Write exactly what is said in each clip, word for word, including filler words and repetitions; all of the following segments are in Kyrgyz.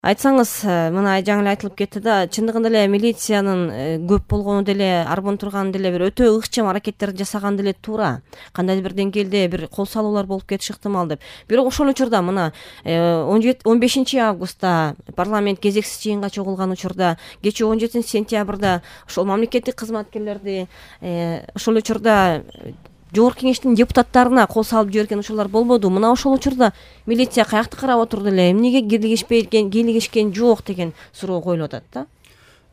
Айтсаңыз, мына жаңы эле айтылып кетти да, чындыгында эле милициянын көп болгону деле, арбон турганы деле бир өтө ыкчам аракеттерди жасаган деле туура. Кандайдыр бир деңгээлде бир кол салуулар болуп кетиши ыктымал деп. Бирок ошол учурда мына он бешинчи августта парламент кезексиз жыйынга чогулган учурда, кечээ он жетинчи сентябрда ошол мамлекеттик кызматкерлерди ошол учурда Жогорку Кеңештин депутаттарына кол салып жиберген учурлар болбоду. Мына ошол учурда милиция каякты карап отурду эле, эмнеге кийлигишпеген, кийлигишкен жок деген суроо коюлуп атат да.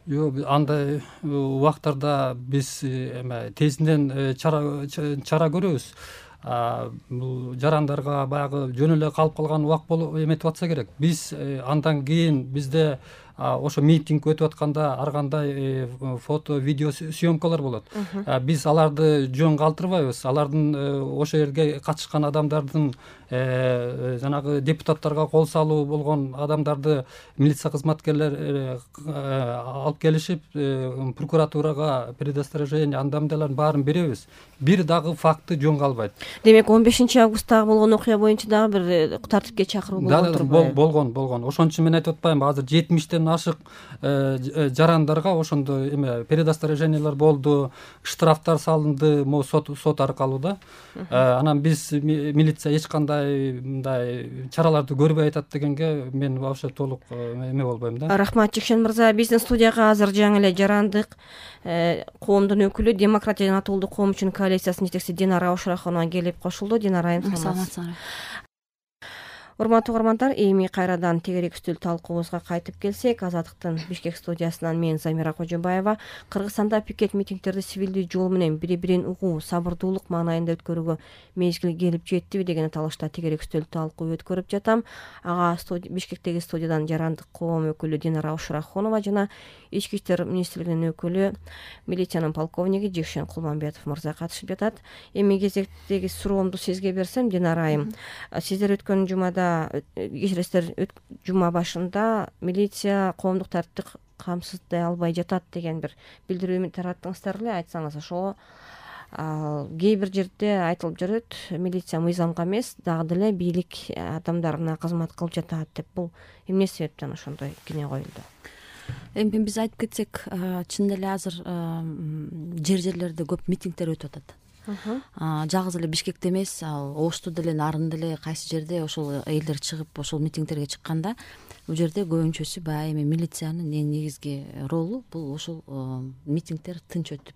Жок, андай убактарда биз эме тезинен чара чара көрөбүз. Бул жарандарга баягы жөн эле калып калган убак болуп эметип атса керек. Биз андан кийин бизде ошо митинг өтүп атканда ар кандай фото, видео съемкалар болот. Биз аларды жөн калтырбайбыз. Алардын ошол жерге катышкан адамдардын жанагы депутаттарга кол салуу болгон адамдарды милиция кызматкерлери алып келишип, прокуратурага предосторожение, андамдалардын баарын беребиз. Бир дагы факты жөн калбайт. Демек он бешинчи августтагы болгон окуя боюнча дагы бир тартипке чакыруу болгон турбайбы? Болгон, болгон. Ошон үчүн мен айтып атпаймынбы, азыр жетимиштен ашык жарандарга ошондой эме предосторожениялар болду, штрафтар салынды, могу сот сот аркылуу да. Анан биз милиция эч кандай мындай чараларды көрбөй атат дегенге мен вообще толук эме болбойм да. Рахмат, Жекшен мырза. Биздин студияга азыр жаңы эле жарандык коомдун өкүлү, Демократия жана Татуулдук коом үчүн коалициясынын жетекчиси Динара Ошурахунова келип кошулду. Динара айым, саламатсызбы? Урматтуу угармандар, эми кайрадан тегерек үстүл талкуубузга кайтып келсек, Азаттыктын Бишкек студиясынан мен Замира Кожобаева Кыргызстанда пикет митингдерди сивилдүү жол менен бири-бирин угуу, сабырдуулук маанайында өткөрүүгө мезгил келип жеттиби деген аталышта тегерек үстүл талкуу өткөрүп жатам. Ага Бишкектеги студиядан жарандык коом өкүлү Динара Ошурахунова жана Ички иштер министрлигинин өкүлү, милициянын полковниги Жекшен Кулманбетов мырза катышып жатат. Эми кезектеги суроомду сизге берсем, Динара айым, сиздер өткөн жумада кечиресиздер, жума башында милиция коомдук тартипти камсыздай албай жатат деген бир билдирүү тараттыңыздар эле. Айтсаңыз, ошого кээ бир жерде айтылып жүрөт, милиция мыйзамга эмес, дагы деле бийлик адамдарына кызмат кылып жатат деп. Бул эмне себептен ошондой кине коюлду? Эми биз айтып кетсек, чын эле азыр жер жерлерде көп митингдер өтүп атат. Жалгыз эле Бишкекте эмес, ал Ошту деле, Нарын деле кайсы жерде ошол элдер чыгып ошол митингдерге чыкканда, бул жерде көбүнчөсү баягы эми милициянын эң негизги ролу бул ошол митингдер тынч өтүп,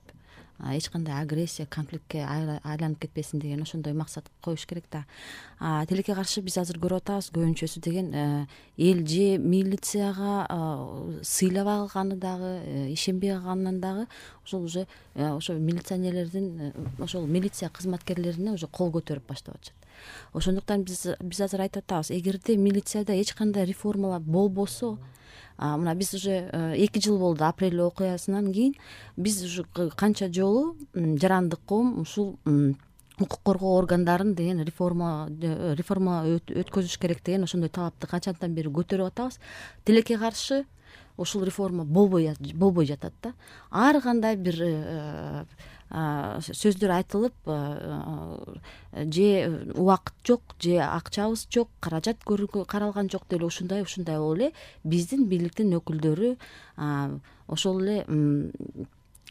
эч кандай агрессия, конфликтке айланып кетпесин деген ошондой максат коюш керек да. Тилекке каршы биз азыр көрүп атабыз, көбүнчөсү деген эл же милицияга сыйлабай калганы дагы, ишенбей калганынан дагы ошол уже ошо милиционерлердин, ошол милиция кызматкерлерине уже кол көтөрүп баштап атышат. Ошондуктан биз биз азыр айтып атабыз, эгерде милицияда эч кандай реформалар болбосо, мына биз уже эки жыл болду апрель окуясынан кийин, биз уже канча жолу жарандык коом ушул укук коргоо органдарын деген реформа реформа өткөзүш керек деген ошондой талапты канчадан бери көтөрүп атабыз. Тилекке каршы ушул реформа болбой болбой жатат да. Ар кандай бир сөздөр айтылып, же убакыт жок, же акчабыз жок, каражат каралган жок деле ушундай ушундай болуп эле биздин бийликтин өкүлдөрү ошол эле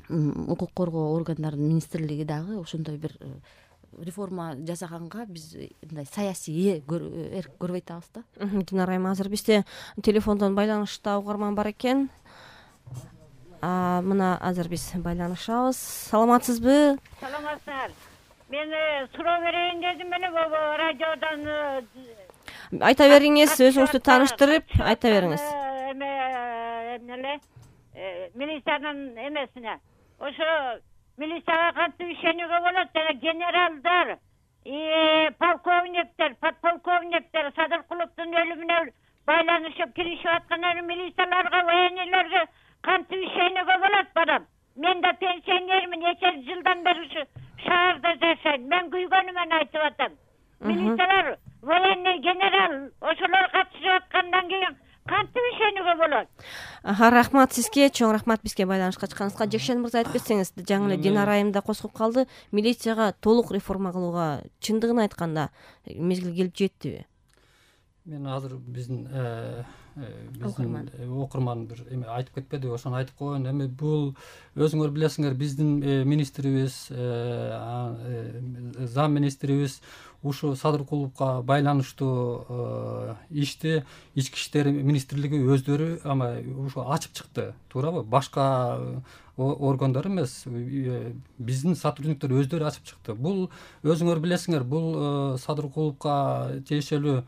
укук коргоо органдарынын министрлиги дагы ошондой бир реформа жасаганга биз мындай саясий эрк көрбөй атабыз да. Динара айым, азыр бизде телефондон байланышта угарман бар экен. Мына азыр биз байланышабыз. Саламатсызбы? Саламатсыздар. Мен суроо берейин дедим, мени радиодан. Айта бериңиз, өзүңүздү тааныштырып, айта бериңиз. Эме эмнеле? Милициянын эмесине. Ошо милицияга кантип ишенүүгө болот? Жана генералдар, полковниктер, подполковниктер Садыркуловдун өлүмүнө байланышып киришип аткан милицияларга, военныйларга кантип ишенүүгө болот балам? Мен да пенсионермин, нече жылдан бери ушу шаарда жашайм. Мен күйгөнүмөн айтып атам. Милициялар, военный, генерал ошолор катышып аткандан кийин кантип ишенүүгө болот? Рахмат сизге, чоң рахмат бизге байланышка чыкканыңызга. Жекшен мырза айтып кетсеңиз, жаңы эле Динара айым да козгоп калды. Милицияга толук реформа кылууга чындыгын айтканда мезгил келип жеттиби? Мен азыр биздин биздин окурман бир эме айтып кетпеди, ошону айтып койгон. Эми бул өзүңөр билесиңер, биздин министрибиз, зам министрибиз ушу садыр кулупка байланыштуу ишти ички иштер министрлиги өздөрү ама ушу ачып чыкты, туурабы? Башка органдар эмес, биздин сотрудниктер өздөрү ачып чыкты. Бул өзүңөр билесиңер, бул садыр кулупка тиешелүү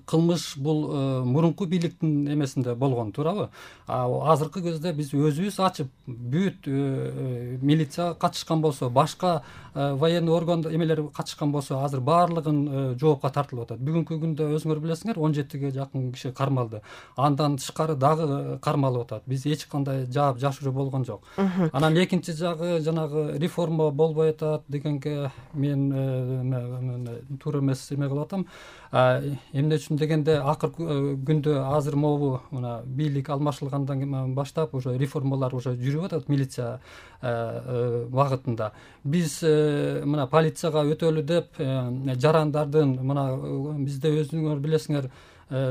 кылмыш бул мурунку бийликтин эмесинде болгон, туурабы? Азыркы кезде биз өзүбүз ачып, бүт милиция катышкан болсо, башка военный орган эмелер катышкан болсо, азыр баардыгын жоопко тартылып атат. Бүгүнкү күндө өзүңөр билесиңер, он жетиге жакын киши кармалды. Андан тышкары дагы кармалып атат. Биз эч кандай жаап жашыруу болгон жок. Анан экинчи жагы жанагы реформа болбой атат дегенге мен туура эмес эме кылып атам. Эмне үчүн дегенде, акыркы күндө азыр могу мына бийлик алмашылгандан баштап уже реформалар уже жүрүп атат милиция багытында. Биз мына полицияга өтөлү деп жарандардын, мына бизде өзүңөр билесиңер,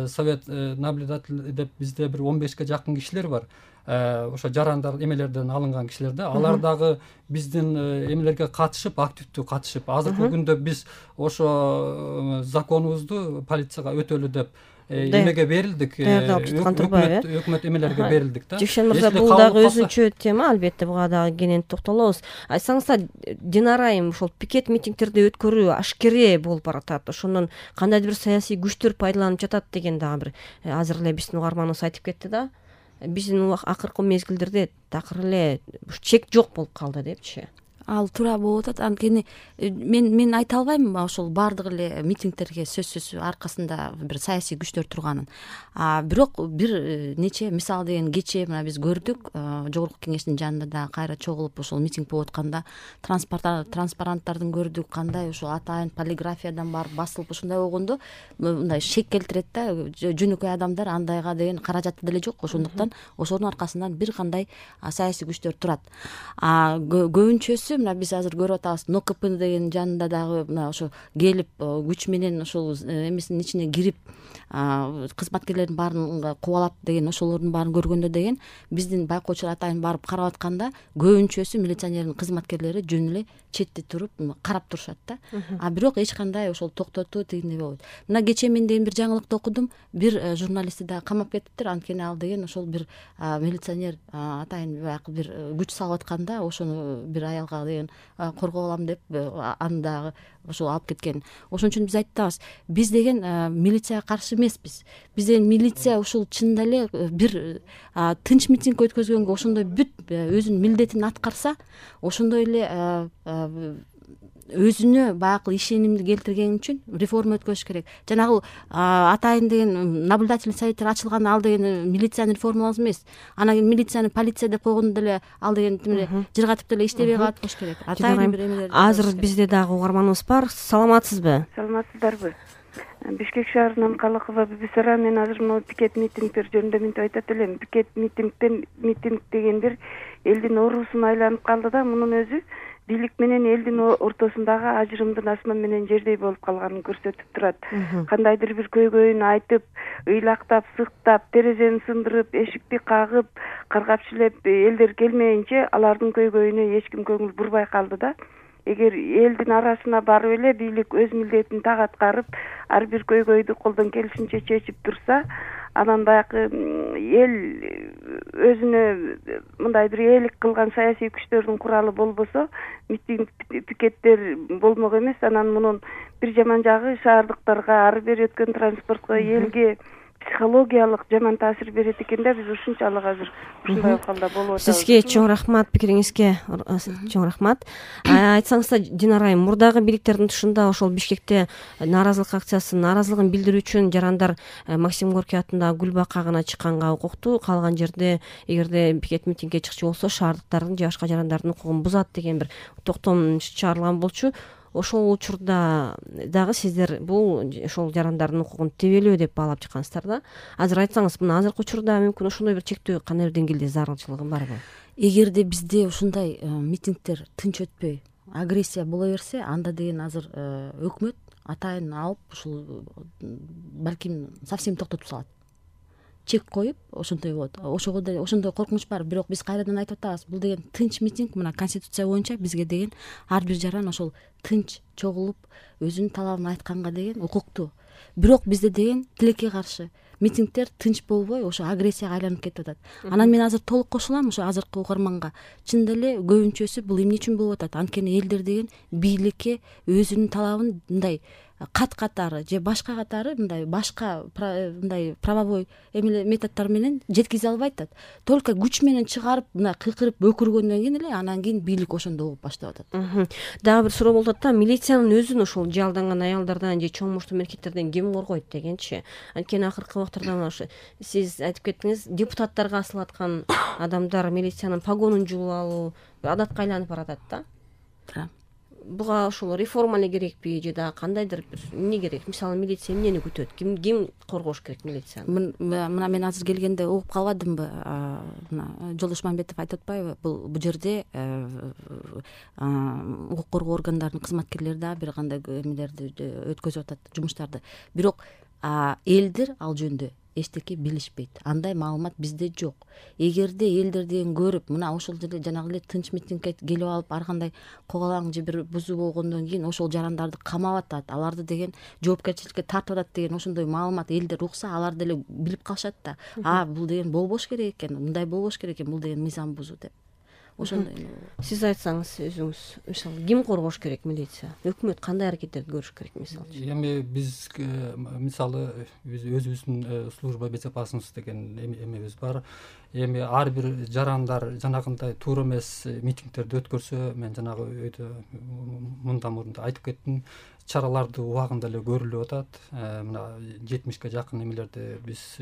совет наблюдатель деп бизде бир он бешке жакын кишилер бар. Ошо жарандар эмелерден алынган кишилер да, алар дагы биздин эмелерге катышып, активдүү катышып, азыркы күндө биз ошо законубузду полицияга өтөлү деп эмеге берилдик, өкмөт эмелерге берилдик да. Жекшен мырза, бул дагы өзүнчө тема, албетте буга дагы кенен токтолобуз. Айтсаңыздар, Динара айым, ошол пикет митингтерди өткөрүү ашкере болуп баратат. Ошондон кандайдыр бир саясий күчтөр пайдаланып жатат деген дагы бир азыр эле биздин угарманыбыз айтып кетти да. Биздин акыркы мезгилдерде такыр эле чек жок болуп калды депчи. Ал туура болуп атат. Анткени мен мен айта албайм ошол баардык эле митингтерге сөзсүз аркасында бир саясий күчтөр турганын. А бирок бир нече мисал деген кечээ мына биз көрдүк, жогорку кеңештин жанында да кайра чогулуп ошол митинг болуп атканда транспаранттардын көрдүк, кандай ошол атайын полиграфиядан барып басылып ушундай болгондо мындай шек келтирет да. Жөнөкөй адамдар андайга деген каражаты деле жок. Ошондуктан ошонун аркасынан бир кандай саясий күчтөр турат. А көбүнчөсү мына биз азыр көрүп атабыз, НОКП деген жанында дагы мына ошо келип күч менен ошол эмесинин ичине кирип кызматкерлердин баарын кубалап деген, ошолордун баарын көргөндө деген биздин байкоочулар атайын барып карап атканда көбүнчөсү милиционердин кызматкерлери жөн эле четте туруп карап турушат да. А бирок эч кандай ошол токтотуу тигиндей болбойт. Мына кечээ мен деген бир жаңылыкты окудум, бир журналистти да камап кетиптир. Анткени ал деген ошол бир милиционер атайын баягы бир күч салып атканда ошону бир аялга деген коргоп алам деп аны дагы ошол алып кеткен. Ошон үчүн биз айтабыз, биз деген милицияга каршы эмеспиз. Биз деген милиция ушул чынында эле бир тынч митинг өткөзгөнгө ошондой бүт өзүнүн милдетин аткарса, ошондой эле өзүнө баягы ишенимди келтирген үчүн реформа өткөзүш керек. Жанагы атайын деген наблюдательный советтер ачылган, ал деген милицияны реформалау эмес. Анан кийин милицияны полиция деп койгондо деле ал деген жыргатып деле иштебей калат болуш керек. Атайын бир эмелер. Азыр бизде дагы угарманыбыз бар. Саламатсызбы? Саламатсыздарбы? Бишкек шаарынан Калыкова Бибисара. Мен азыр могу пикет митингтер жөнүндө мынтип айтат элем. Пикет митингден митинг деген бир элдин оорусуна айланып калды да, мунун өзү бийлик менен элдин ортосундагы ажырымдын асман менен жердей болуп калганын көрсөтүп турат. Кандайдыр бир көйгөйүн айтып, ыйлактап, сыктап, терезени сындырып, эшикти кагып, каргап шилеп элдер келмейинче алардын көйгөйүнө эч ким көңүл бурбай калды да. Эгер элдин арасына барып эле бийлик өз милдетин так аткарып, ар бир көйгөйдү колдон келишинче чечип турса, анан баягы эл өзүнө мындай бир ээлик кылган саясий күчтөрдүн куралы болбосо, митинг пикеттер болмок эмес. Анан мунун бир жаман жагы шаардыктарга, ары бери өткөн транспортко, элге психологиялык жаман таасир берет экен да. Биз ушунчалык азыр ушундай абалда болуп атабыз. Сизге чоң рахмат, пикириңизге чоң рахмат. Айтсаңыздар, Динара айым, мурдагы бийликтердин тышында ошол Бишкекте нааразылык акциясын, нааразылыгын билдирүү үчүн жарандар Максим Горький атындагы Гүл бакагына чыкканга укуктуу, калган жерде эгерде пикет митингге чыкчу болсо шаардыктардын же башка жарандардын укугун бузат деген бир токтом чыгарылган болчу. Ошол учурда дагы сиздер бул ошол жарандардын укугун тебелөө деп баалап чыккансыздар да. Азыр айтсаңыз, мына азыркы учурда мүмкүн ошондой бир чектөө кандай бир деңгээлде зарылчылыгы барбы? Эгерде бизде ушундай митингтер тынч өтпөй, агрессия боло берсе, анда деген азыр өкмөт атайын алып ушул балким совсем токтотуп салат. чек коюп ошентой болот. Ошого деле ошондой коркунуч бар. Бирок биз кайрадан айтып атабыз, бул деген тынч митинг. Мына конституция боюнча бизге деген ар бир жаран ошол тынч чогулуп өзүнүн талабын айтканга деген укуктуу. Бирок бизде деген тилекке каршы митингдер тынч болбой ошо агрессияга айланып кетип атат. Анан мен азыр толук кошулам ошо азыркы угарманга. Чындап эле көбүнчөсү бул эмне үчүн болуп атат? Анткени элдер деген бийликке өзүнүн талабын мындай кат катары же башка катары мындай башка мындай правовой эмеле методдор менен жеткизе албай атат. Только күч менен чыгарып мына кыйкырып өкүргөндөн кийин эле анан кийин бийлик ошондо угуп баштап атат. Дагы бир суроо болуп атат да, милициянын өзүн ошол жалданган аялдардан же чоң муштуу эркектерден ким коргойт дегенчи. Анткени акыркы убактарда мына ошо сиз айтып кеттиңиз, депутаттарга асылаткан адамдар милициянын погонун жулуп алуу адатка айланып баратат да. Буга ошол реформа эле керекпи же дагы кандайдыр бир эмне керек? Мисалы милиция эмнени күтөт? Ким ким коргош керек милицияны? Мына мен азыр келгенде угуп калбадымбы? Мына Жолдош Мамбетов айтып атпайбы? Бул бул жерде укук коргоо органдарынын кызматкерлери дагы бир кандай эмелерди өткөзүп атат, жумуштарды. Бирок элдер ал жөнүндө эчтеке билишпейт. Андай маалымат бизде жок. Эгерде элдер деген көрүп, мына ошол жерде жанагы эле тынч митингке келип алып, ар кандай когалаң же бир бузуу болгондон кийин ошол жарандарды камап атат, аларды деген жоопкерчиликке тартып атат деген ошондой маалымат элдер укса, алар деле билип калышат да. А, бул деген болбош керек экен, мындай болбош керек экен, бул деген мыйзам бузуу деп. Ошондой. Сиз айтсаңыз өзүңүз, мисалы, ким коргош керек милиция? Өкмөт кандай аракеттерди көрүш керек мисалы? Эми биз мисалы биз өзүбүздүн служба безопасности деген эмебиз бар. Эми ар бир жарандар жанагындай туура эмес митингдерди өткөрсө, мен жанагы өйдө мындан мурун айтып кеттим, чараларды убагында эле көрүлүп атат. Мына жетимишке жакын эмелерди биз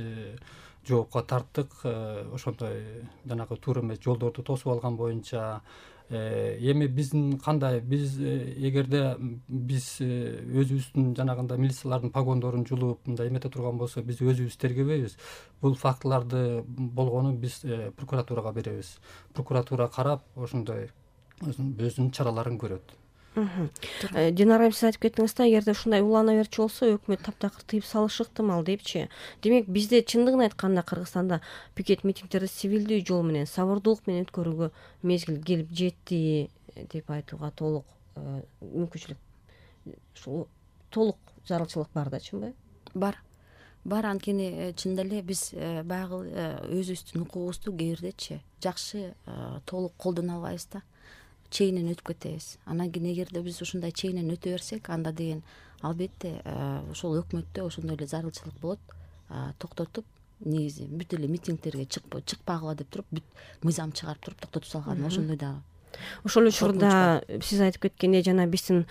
жоопко тарттык. Ошондой жанагы туура эмес жолдорду тосуп алган боюнча. Эми биздин кандай, биз эгерде биз өзүбүздүн жанагындай милициялардын погондорун жулуп мындай эмете турган болсо, биз өзүбүз тергебейбиз. Бул фактыларды болгонун биз прокуратурага беребиз. Прокуратура карап, ошондой өзүнүн чараларын көрөт. Динара айым, сиз айтып кеттиңиз да, эгерде ушундай улана берчү болсо, өкмөт таптакыр тыйып салышы ыктымал депчи. Демек, бизде чындыгын айтканда Кыргызстанда пикет митингдерди цивилдүү жол менен, сабырдуулук менен өткөрүүгө мезгил келип жетти деп айтууга толук мүмкүнчүлүк, ушул толук зарылчылык бар да, чынбы? Бар. Бар, анткени чындап эле биз баягы өзүбүздүн укугубузду кээ бирдечи жакшы толук колдоно албайбыз да. Чейинен өтүп кетебиз. Анан кийин эгерде биз ушундай чейинен өтө берсек, анда деген албетте ошол өкмөттө ошондой эле зарылчылык болот. Токтотуп, негизи бүт эле митингдерге чыкпагыла деп туруп, бүт мыйзам чыгарып туруп токтотуп салган. Ошондой дагы. Ошол учурда сиз айтып кеткендей, жана биздин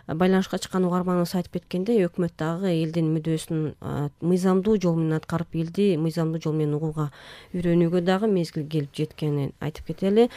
байланышка чыккан угарманыбыз айтып кеткендей, өкмөт дагы элдин мүдөөсүн мыйзамдуу жол менен аткарып, элди мыйзамдуу жол менен угууга үйрөнүүгө дагы мезгил келип жеткенин айтып кетели.